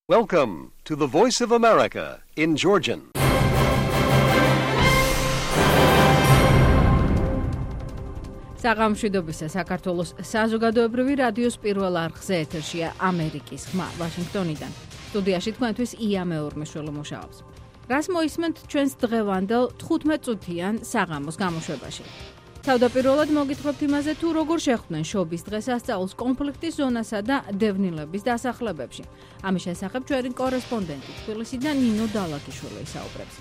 Welcome to the Voice of America in Georgian. საღამოშვიდობისა საქართველოს საზოგადოებრივი რადიოს პირველ არხზე ეთერშია ამერიკის ხმა ვაშინგტონიდან. სტუდიაში თქვენთვის ია მეორმეშველი მუშაობს. რას მოისმენთ ჩვენს დღევანდელ 15 წუთიან საღამოს გამოშვებაში. თავდაპირველად მოგითხრობთ იმაზე, თუ როგორ შეხვდნენ შობის დღესასწაულს კონფლიქტის ზონასა და დევნილების დასახლებებში. ამის შესახებ ჩვენი კორესპონდენტი თბილისიდან ნინო დალაკიშვილი ისაუბრებს.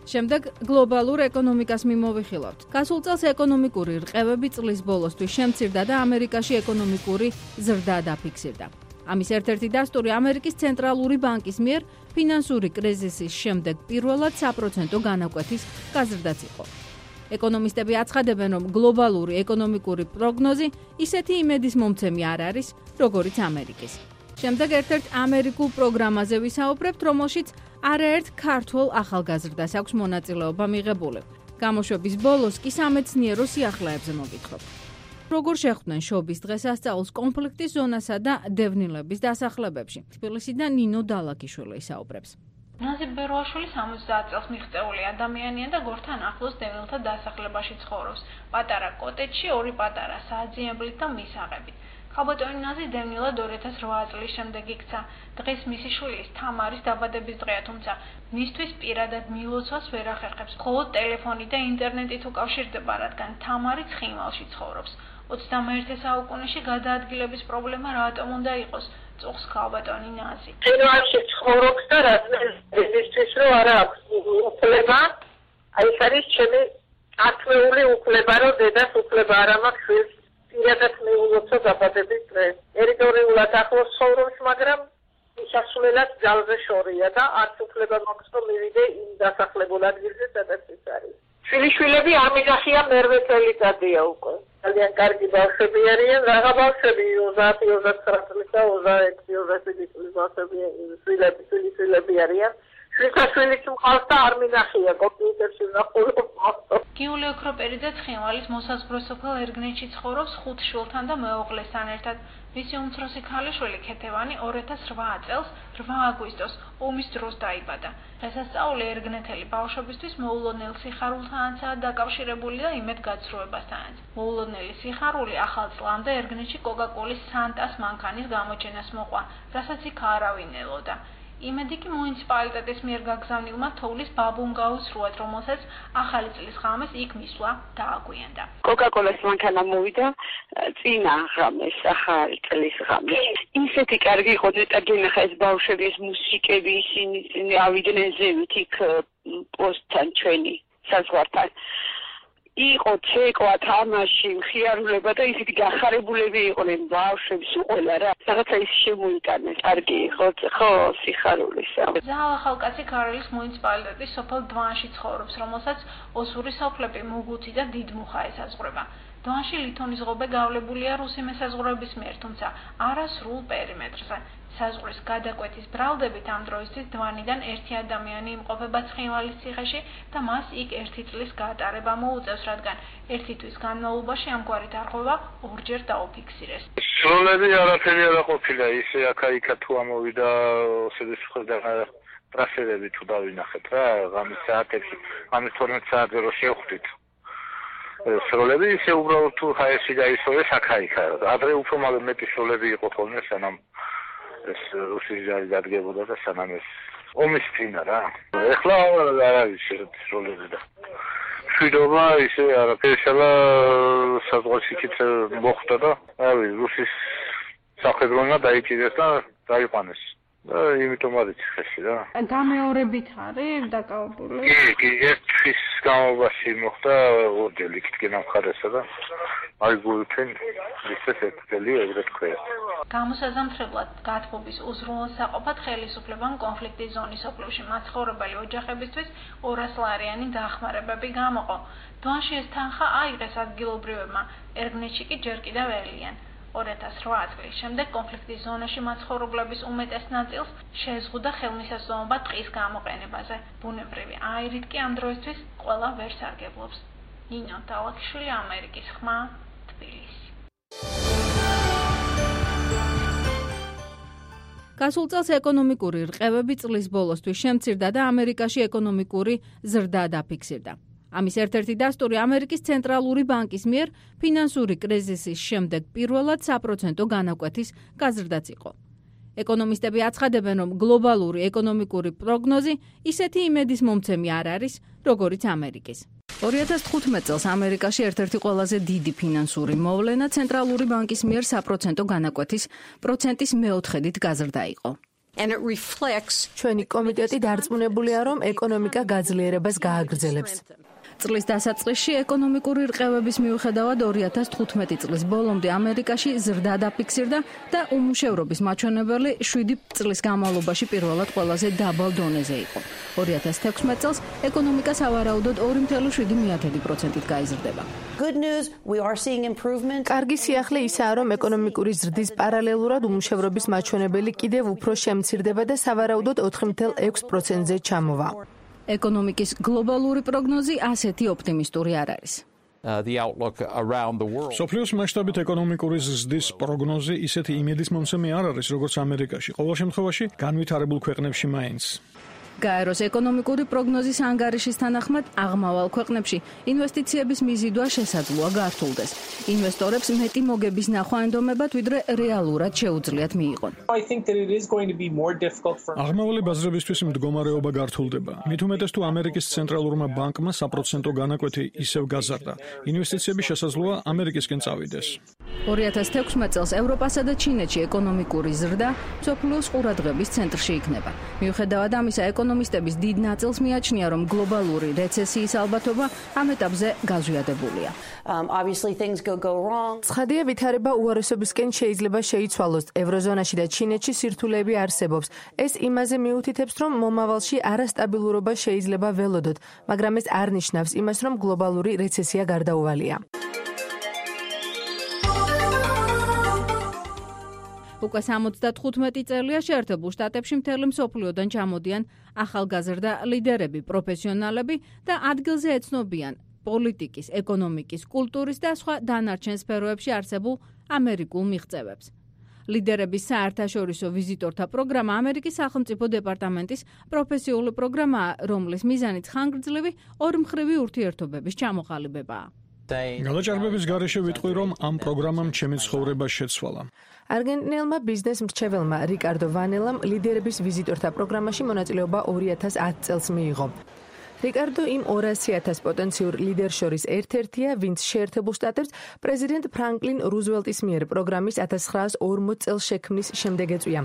შემდეგ გლობალურ ეკონომიკას მიმოვიხილავთ. გასულ წელს ეკონომიკური რყევები წლის ბოლოსთვის შემცირდა და ამერიკაში ეკონომიკური ზრდა დაფიქსირდა. ამის ერთ-ერთი დასტური ამერიკის ცენტრალური ბანკის მიერ ფინანსური კრიზისის შემდეგ პირველად 1% განაკვეთის გაზრდაც იყო. ეკონომისტები აცხადებენ, რომ გლობალური ეკონომიკური პროგნოზი ისეთი იმედის მომცემი არ არის, როგორიც ამერიკის. შემდეგ ერთ-ერთ ამერიკულ პროგრამაზე ვისაუბრებთ, რომელშიც არაერთ ქართველ ახალგაზრდას აქვს მონაწილეობა მიღებული. გამოშვების ბოლოს კი სამეცნიერო სიახლეებზე მოგითხრობთ. როგორ შეხვდნენ შობის დღესასწაულს კონფლიქტის ზონასა და დევნილების დასახლებებში. თბილისიდან ნინო დალაკიშვილი ისაუბრებს. ნაზი ბეროაშვილი 70 წელს მიღწეული ადამიანია და გორთან ახლოს დევნილთა დასახლებაში ცხოვრობს. პატარა კოტეჯში ორი პატარა საძიებლით და მისაღებით. ხალბატონი ნაზი დევნილად 2008 წლის შემდეგ იქცა. დღეს მისი შვილის თამარის დაბადების დღეა, თუმცა მისთვის პირადად მილოცვას ვერ ახერხებს. მხოლოდ ტელეფონი და ინტერნეტით უკავშირდება, რადგან თამარი ცხინვალში ცხოვრობს. 21 საუკუნეში გადაადგილების პრობლემა რატომ უნდა იყოს? წუხს ხალბატონი ნაზი. ცხინვალში ცხოვრობს და რადგან რომ არა აქვს უფლება, აი ეს არის ჩემი ართმეული უფლება, რომ დედას უფლება არ მაქვს შვილს პირადად მიულოცო დაბადების დღეს. ტერიტორიულად ახლოს ცხოვრობს, მაგრამ მისასვლელად ძალზე შორია და არც უფლება მაქვს რომ მივიდე იმ დასახლებულ ადგილზე, სადაც ის არის. შვილიშვილები არ მიგახია მერვე წელიწადია უკვე. ძალიან კარგი ბავშვები არიან, რაღა ბავშვები 30-29 წლის და 26-27 წლის ბავშვები, შვილიშვილები არიან. შვილიშვილიც მყავს და არ მიგახია კომპიუტერში ვნახულობ. გიული ოქროპერიძე ცხინვალის მოსაზღვრე სოფელ ერგნეთში ცხოვრობს 5 შვილთან და მეუღლესთან ერთად. მისი უმცროსი ქალიშვილი ქეთევანი 2008 წელს 8 აგვისტოს ომის დროს დაიბადა. დღესასწაული ერგნეთელი ბავშვებისთვის მოულოდნელ სიხარულთანაცაა დაკავშირებული და იმედგაცრუებასთანაც. მოულოდნელი სიხარული ახალ წლამდე ერგნეთში კოკაკოლის სანტას მანქანის გამოჩენას მოყვა, რასაც იქ არავინ ელოდა. იმედი კი მუნიციპალიტეტის მიერ გაგზავნილმა თოვლის ბაბუმ გაუსრუათ, რომელსაც ახალი წლის ღამეს იქ მისვლა დააგვიანდა. კოკაკოლას მანქანა მოვიდა წინა ღამეს, ახალი წლის ღამეს. ისეთი კარგი იყო დეტაგენახა ეს ბავშვები, ეს მუსიკები, ისინი ავიდნენ ზევით იქ პოსტთან ჩვენი საზღვართან. იყო ცეკვა, თამაში, მხიარულება და ისეთი გახარებულები იყვნენ ბავშვები, ყველა რა. რაღაცა ის შემოიტანეს, კარგი იყო, ხო, სიხარულისა. ზალა ხალკაცი ქარელის მუნიციპალიტეტის სოფელ დვანში ცხოვრობს, რომელსაც ოსური სოფლები მუგუთი და დიდმუხა ესაზღვრება. დვანში ლითონის ღობე გავლებულია რუსი მესაზღვრეების მიერ, თუმცა არა სრულ პერიმეტრზე. საზღვრის გადაკვეთის ბრალდებით ამ დროისთვის დვანიდან ერთი ადამიანი იმყოფება ცხინვალის ციხეში და მას იქ 1 წლის გატარება მოუწევს, რადგან 1 თვის განმავლობაში ამგვარი დარღვევა ორჯერ დაუფიქსირეს. სროლები არაფერი არ ყოფილა, ისე აქა-იქა თუ ამოვიდა ოსეთის მხრიდან ტრასერები თუ დავინახეთ რა, ღამის საათებში, ღამის 12 საათზე რო შევხვდით. სროლები ისე უბრალოდ თუ ჰაერში გაისვეს აქა-იქა. ადრე უფრო მეტი სროლები იყო ხოლმე, სანამ ეს რუსი ჯარი დადგებოდა და სანამ ეს ომის წინა რა. ეხლა არ არის ესეთი სროლები და მშვიდობა ისე არაფერი შელა საზღვარში იქით მოხვდა და რავი რუსის სამხედროებმა დაიჭირეს და დაიყვანეს. და იმიტომ არის ხეში რა. გამეორებით არის დაკავებული? კი, ერთვის გამობაში მოხდა ორჯერ იქით გენამხარესა და აი გულფენ ისეთ ერთელი ეგრე თქვია. გამოსაზამთრებლად გათბობის უზრუნველსაყოფად ხელისუფლებამ კონფლიქტის ზონის ოფლებში მაცხოვრებელი ოჯახებისთვის 200 ლარიანი დახმარებები გამოყო. დვანში ეს თანხა აიღეს ადგილობრივებმა, ერგნეთში კი ჯერ კიდევ ელიან. 2008 წლის შემდეგ კონფლიქტის ზონაში მაცხოვრებლების უმეტეს ნაწილს შეზღუდა ხელმისაწვდომობა ტყის გამოყენებაზე. ბუნებრივი აირით კი ამ დროისთვის ყველა ვერ სარგებლობს. ნინო დალაკიშვილი, ამერიკის ხმა, თბილისი. გასულ წელს ეკონომიკური რყევები წლის ბოლოსთვის შემცირდა და ამერიკაში ეკონომიკური ზრდა დაფიქსირდა. ამის ერთ-ერთი დასტური ამერიკის ცენტრალური ბანკის მიერ ფინანსური კრიზისის შემდეგ პირველად 3% განაკვეთის გაზრდაც იყო. ეკონომისტები აცხადებენ, რომ გლობალური ეკონომიკური პროგნოზი ისეთი იმედის მომცემი არ არის, როგორიც ამერიკის. 2015 წელს ამერიკაში ერთ-ერთი ყველაზე დიდი ფინანსური მოვლენა ცენტრალური ბანკის მიერ 3% განაკვეთის პროცენტის მეოთხედით გაზრდა იყო. ჩვენი კომიტეტი დარწმუნებულია, რომ ეკონომიკა გაძლიერებას გააგრძელებს. წლის დასაწყისში ეკონომიკური რყევების მიუხედავად 2015 წლის ბოლომდე ამერიკაში ზრდა დაფიქსირდა და უმუშევრობის მაჩვენებელი 7 წლის განმავლობაში პირველად ყველაზე დაბალ დონეზე იყო. 2016 წელს ეკონომიკა სავარაუდოდ 2.7%-ით გაიზრდება. კარგი სიახლე ისაა, რომ ეკონომიკური ზრდის პარალელურად უმუშევრობის მაჩვენებელი კიდევ უფრო შემცირდება და სავარაუდოდ 4.6%-ზე ჩამოვა. ეკონომიკის გლობალური პროგნოზი ასეთი ოპტიმისტური არ არის. სოფლიოს მასშტაბით ეკონომიკური ზრდის პროგნოზი ისეთი იმედის მომცემი არ არის, როგორც ამერიკაში. ყოველ შემთხვევაში განვითარებულ ქვეყნებში მაინც. გაეროს ეკონომიკური პროგნოზის ანგარიშის თანახმად აღმავალ ქვეყნებში ინვესტიციების მიზიდვა შესაძლოა გართულდეს. ინვესტორებს მეტი მოგების ნახვა ენდომებათ, ვიდრე რეალურად შეუძლიათ მიიღონ. აღმავალი ბაზრებისთვის მდგომარეობა გართულდება. მით უმეტეს თუ ამერიკის ცენტრალურმა ბანკმა 3% განაკვეთი ისევ გაზარდა. ინვესტიციები შესაძლოა ამერიკისკენ წავიდეს. 2016 წელს ევროპასა და ჩინეთში ეკონომიკური ზრდა მსოფლიოს ყურადღების ცენტრში იქნება. მიუხედავად ამისა, ეკონომისტების დიდ ნაწილს მიაჩნია, რომ გლობალური რეცესიის ალბათობა ამ ეტაპზე გაზვიადებულია. ცხადია, ვითარება უარესობისკენ შეიძლება შეიცვალოს. ევროზონაში და ჩინეთში სირთულეები არსებობს. ეს იმაზე მიუთითებს, რომ მომავალში არასტაბილურობა შეიძლება ველოდოთ, მაგრამ ეს არ ნიშნავს იმას, რომ გლობალური რეცესია გარდაუვალია. უკვე 75 წელია შეერთებულ შტატებში მთელი მსოფლიოდან ჩამოდიან ახალგაზრდა ლიდერები, პროფესიონალები და ადგილზე ეცნობიან პოლიტიკის, ეკონომიკის, კულტურის და სხვა დანარჩენ სფეროებში არსებულ ამერიკულ მიღწევებს. ლიდერების საერთაშორისო ვიზიტორთა პროგრამა ამერიკის სახელმწიფო დეპარტამენტის პროფესიული პროგრამაა, რომლის მიზანიც ხანგრძლივი ორმხრივი ურთიერთობების ჩამოყალიბებაა. გადაჭარბების გარეშე ვიტყვი, რომ ამ პროგრამამ ჩემი ცხოვრება შეცვალა. არგენტინელმა ბიზნეს მრჩეველმა რიკარდო ვანელამ ლიდერების ვიზიტორთა პროგრამაში მონაწილეობა 2010 წელს მიიღო. რიკარდო იმ 200,000 პოტენციურ ლიდერ შორის ერთ-ერთია, ვინც შეერთებულ შტატებს პრეზიდენტ ფრანკლინ რუზველტის მიერ პროგრამის 1940 წელს შექმნის შემდეგ ეწვია.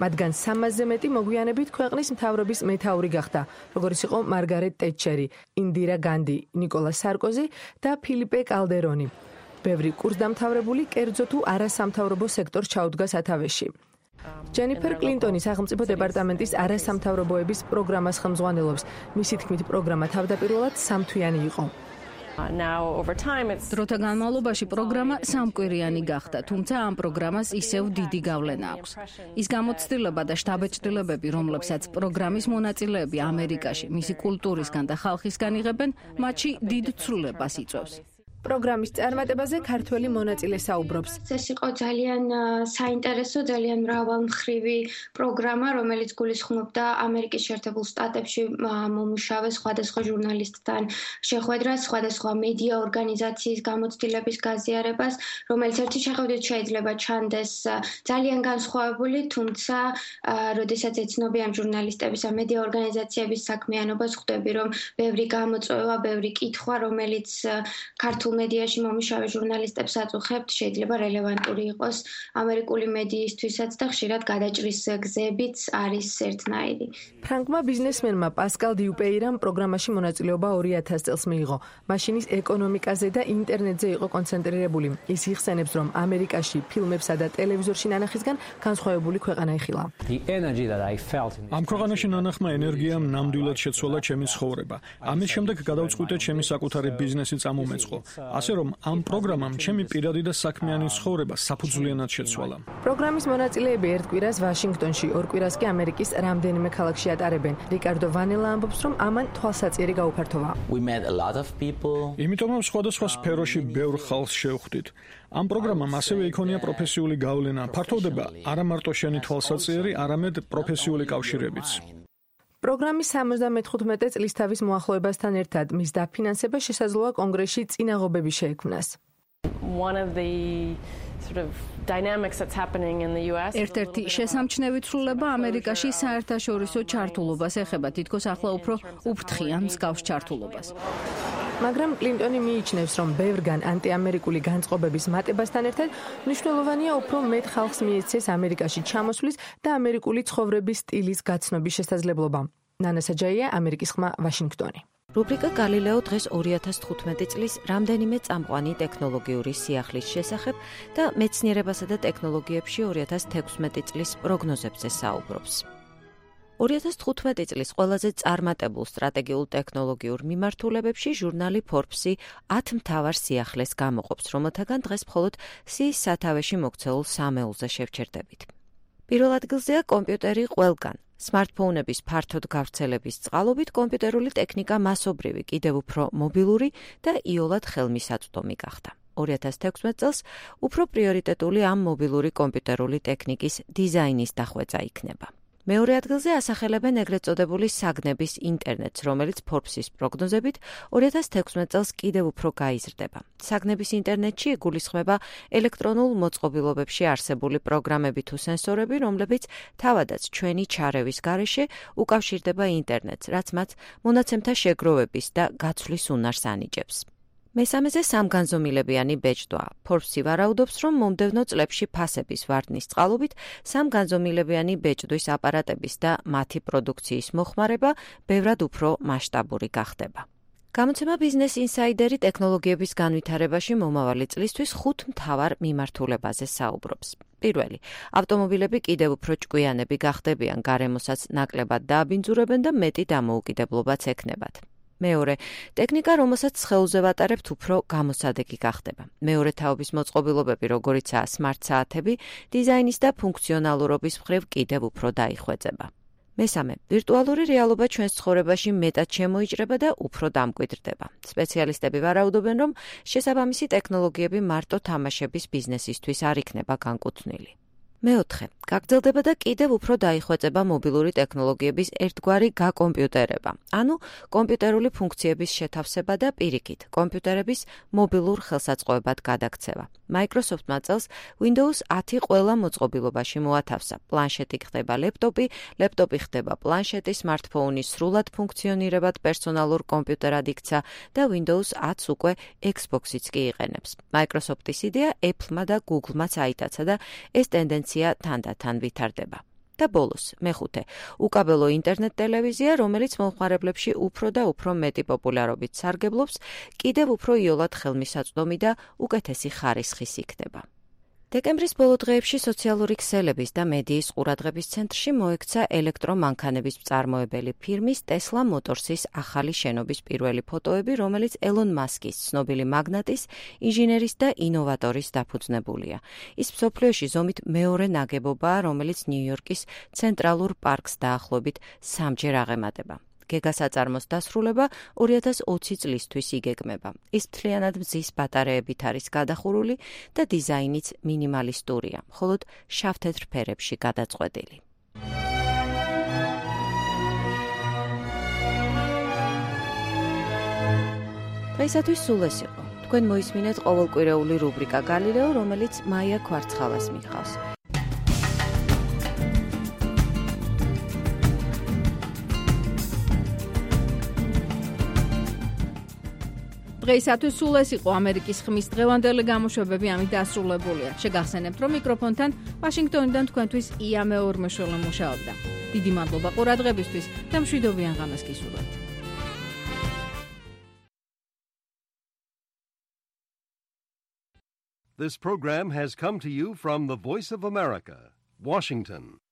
მათგან 300-ზე მეტი მოგვიანებით ქვეყნის მთავრობის მეთაური გახდა, როგორიც იყო მარგარეტ ტეტჩერი, ინდირა განდი, ნიკოლა სარკოზი და ფილიპე კალდერონი. ბევრი კურსდამთავრებული კერძო თუ არასამთავრობო სექტორს ჩაუდგა სათავეში. ჯენიფერ კლინტონი სახელმწიფო დეპარტამენტის არასამთავრობოების პროგრამას ხელმძღვანელობს. მისი თქმით, პროგრამა თავდაპირველად 3 თვიანი იყო. დროთა განმავლობაში პროგრამა 3 კვირიანი გახდა, თუმცა ამ პროგრამას ისევ დიდი გავლენა აქვს. ის გამოცდილება და შტაბ-ჭრილებები, რომლებსაც პროგრამის მონაწილეები ამერიკაში მისი კულტურისგან და ხალხისგან იღებენ, მათში დიდ ცვლილებას იწვევს. პროგრამის წარმატებაზე ქართველი მონაწილე საუბრობს. ეს იყო ძალიან საინტერესო, ძალიან მრავალმხრივი პროგრამა, რომელიც გულისხმობდა ამერიკის შეერთებულ შტატებში მომუშავე სხვადასხვა ჟურნალისტთან შეხვედრას, სხვადასხვა მედია ორგანიზაციის გამოცდილების გაზიარებას, რომელიც ერთი შეხედვით შეიძლება ჩანდეს ძალიან განსხვავებული, თუმცა როდესაც ეცნობი ამ ჟურნალისტების ამ მედია ორგანიზაციების საქმიანობას, ხვდები, რომ ბევრი გამოწვევა, ბევრი კითხვა, რომელიც ქართულ მედიაში მომუშავე ჟურნალისტებს აწუხებთ, შეიძლება რელევანტური იყოს ამერიკული მედიისთვისაც და ხშირად გადაჭრის გზებიც არის ერთნაირი. ფრანკმა ბიზნესმენმა პასკალ დიუპეირამ პროგრამაში მონაწილეობა 2000 წელს მიიღო. მაშინ ის ეკონომიკაზე და ინტერნეტზე იყო კონცენტრირებული. ის იხსენებს, რომ ამერიკაში ფილმებსა და ტელევიზორში ნანახისგან განსხვავებული ქვეყანა იხილა. ამ ქვეყანაში ნანახმა ენერგიამ ნამდვილად შეცვალა ჩემი ცხოვრება. ამის შემდეგ გადავწყვიტე ჩემი საკუთარი ბიზნესი წამომეწყო. ასე რომ ამ პროგრამამ ჩემი პირადი და საქმიანი ცხოვრება საფუძვლიანად შეცვალა. პროგრამის მონაწილეები ერთ კვირას ვაშინგტონში, ორ კვირას კი ამერიკის რამდენიმე ქალაქში ატარებენ. რიკარდო ვანელა ამბობს, რომ ამან თვალსაწიერი გაუფართოვა. იმიტომ რომ სხვადასხვა სფეროში ბევრ ხალხს შევხვდით. ამ პროგრამამ ასევე იქონია პროფესიული გავლენა, ფართოვდება არა მარტო შენი თვალსაწიერი, არამედ პროფესიული კავშირებიც. პროგრამის 75 წლის თავის მოახლოებასთან ერთად მის დაფინანსება შესაძლოა კონგრესში წინაღობები შეექმნას. ერთ-ერთი შესამჩნევი ცვლილება ამერიკაში საერთაშორისო ჩართულობას ეხება, თითქოს ახლა უფრო უფრთხიან მსგავს ჩართულობას. მაგრამ კლინტონი მიიჩნევს, რომ ბევრგან ანტიამერიკული განწყობების მატებასთან ერთად მნიშვნელოვანია უფრო მეტ ხალხს მიეცეს ამერიკაში ჩამოსვლის და ამერიკული ცხოვრების სტილის გაცნობის შესაძლებლობა. ნანა საჯაია, ამერიკის ხმა, ვაშინგტონი. რუბრიკა გალილეო დღეს 2015 წლის რამდენიმე წამყვანი ტექნოლოგიური სიახლის შესახებ და მეცნიერებასა და ტექნოლოგიებში 2016 წლის პროგნოზებზე საუბრობს. 2015 წლის ყველაზე წარმატებულ სტრატეგიულ ტექნოლოგიურ მიმართულებებში ჟურნალი Forbes 10 მთავარ სიახლეს გამოყოფს, რომელთაგან დღეს მხოლოდ სიის სათავეში მოქცეულ სამეულზე შევჩერდებით. პირველ ადგილზეა კომპიუტერი ყველგან. სმარტფონების ფართოდ გავრცელების წყალობით კომპიუტერული ტექნიკა მასობრივი, კიდევ უფრო მობილური და იოლად ხელმისაწვდომი გახდა. 2016 წელს უფრო პრიორიტეტული ამ მობილური კომპიუტერული ტექნიკის დიზაინის დახვეწა იქნება. მეორე ადგილზე ასახელებენ ეგრეთ წოდებული საგნების ინტერნეტს, რომელიც Forbes-ის პროგნოზებით 2016 წელს კიდევ უფრო გაიზრდება. საგნების ინტერნეტში იგულისხმება ელექტრონულ მოწყობილობებში არსებული პროგრამები თუ სენსორები, რომლებიც თავადაც ჩვენი ჩარევის გარეშე უკავშირდება ინტერნეტს, რაც მათ მონაცემთა შეგროვების და გაცვლის უნარს ანიჭებს. მესამეზე სამგანზომილებიანი ბეჭდვაა. Forbes-ი ვარაუდობს, რომ მომდევნო წლებში ფასების ვარდნის წყალობით სამგანზომილებიანი ბეჭდვის აპარატების და მათი პროდუქციის მოხმარება ბევრად უფრო მასშტაბური გახდება. გამოცემა Business Insider-ი ტექნოლოგიების განვითარებაში მომავალი წლისთვის 5 მთავარ მიმართულებაზე საუბრობს. პირველი, ავტომობილები კიდევ უფრო ჭკვიანები გახდებიან, გარემოსაც ნაკლებად დააბინძურებენ და მეტი დამოუკიდებლობაც ექნებათ. მეორე, ტექნიკა, რომელსაც სხეულზე ვატარებთ, უფრო გამოსადეგი გახდება. მეორე თაობის მოწყობილობები, როგორიცაა სმარტ საათები, დიზაინის და ფუნქციონალურობის მხრივ კიდევ უფრო დაიხვეწება. მესამე, ვირტუალური რეალობა ჩვენს ცხოვრებაში მეტად შემოიჭრება და უფრო დამკვიდრდება. სპეციალისტები ვარაუდობენ, რომ შესაბამისი ტექნოლოგიები მარტო თამაშების ბიზნესისთვის არ იქნება განკუთვნილი. მეოთხე, გაგრძელდება და კიდევ უფრო დაიხვეწება მობილური ტექნოლოგიების ერთგვარი გაკომპიუტერება, ანუ კომპიუტერული ფუნქციების შეთავსება და პირიქით, კომპიუტერების მობილურ ხელსაწყოებად გადაქცევა. Microsoft-მა წელს Windows 10 ყველა მოწყობილობაში მოათავსა. პლანშეტი ხდება ლეპტოპი, ლეპტოპი ხდება პლანშეტი, smartphone-ი სრულად ფუნქციონირებად პერსონალურ კომპიუტერად იქცა და Windows 10 უკვე Xbox-იც კი იყენებს. Microsoft-ის იდეა Apple-მა და Google-მაც აიტაცა და ეს ტენდენცია თანდათან ვითარდება. და ბოლოს, მეხუთე, უკაბელო ინტერნეტ ტელევიზია, რომელიც მომხმარებლებში უფრო და უფრო მეტი პოპულარობით სარგებლობს, კიდევ უფრო იოლად ხელმისაწვდომი და უკეთესი ხარისხის იქნება. დეკემბრის ბოლო დღეებში სოციალური ქსელების და მედიის ყურადღების ცენტრში მოექცა ელექტრომანქანების მწარმოებელი ფირმის Tesla Motors-ის ახალი შენობის პირველი ფოტოები, რომელიც ელონ მასკის, ცნობილი მაგნატის, ინჟინერის და ინოვატორის დაფუძნებულია. ის მსოფლიოში ზომით მეორე ნაგებობაა, რომელიც ნიუ-იორკის ცენტრალურ პარკს დაახლოებით 3-ჯერ აღემატება. გეგასაწარმოს დასრულება 2020 წლისთვის იგეგმება. ის მთლიანად მზის ბატარეებით არის გადახურული და დიზაინიც მინიმალისტურია, მხოლოდ შავ-თეთრ ფერებში გადაწყვეტილი. დღეისათვის სულ ეს იყო. თქვენ მოისმინეთ ყოველკვირეული რუბრიკა გალილეო, რომელიც მაია ქვარცხალას მიღავს. დღეისათვის სულ ეს იყო ამერიკის ხმის დღევანდელი გამოშვებები, ამით დასრულებულია. შეგახსენებთ, რომ მიკროფონთან ვაშინგტონიდან თქვენთვის ია მეორმეშველო მუშაობდა. დიდი მადლობა ყურადღებისთვის და მშვიდობიან ღამეს გისურვებთ. This program has come to you from the Voice of America, Washington.